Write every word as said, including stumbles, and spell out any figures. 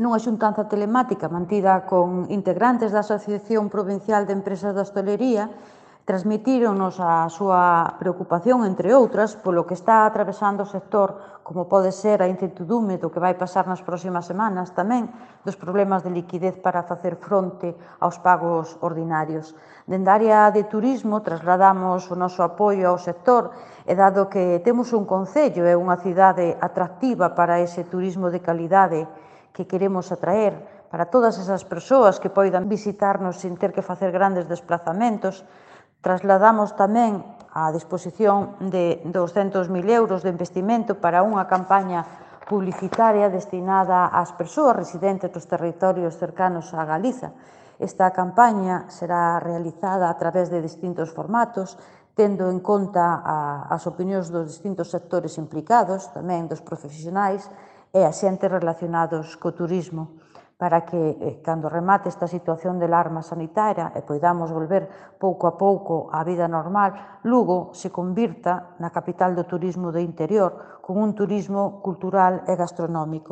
Nunha xuntanza telemática mantida con integrantes da Asociación Provincial de Empresas da Hostalería, transmitíronos a súa preocupación, entre outras, polo que está atravesando o sector, como pode ser a incertidume do que vai pasar nas próximas semanas, tamén dos problemas de liquidez para facer fronte aos pagos ordinarios. Dende a área de turismo trasladamos o noso apoio ao sector e dado que temos un concello e unha cidade atractiva para ese turismo de calidade que queremos atraer para todas esas persoas que poidan visitarnos sin ter que facer grandes desplazamentos, trasladamos tamén a disposición de douscentos mil euros de investimento para unha campaña publicitaria destinada ás persoas residentes dos territorios cercanos a Galiza. Esta campaña será realizada a través de distintos formatos, tendo en conta as opinións dos distintos sectores implicados, tamén dos profesionais, e a xente relacionados co turismo, para que, cando remate esta situación de alarma sanitaria e poidamos volver pouco a pouco á vida normal, Lugo se convirta na capital do turismo do interior, con un turismo cultural e gastronómico.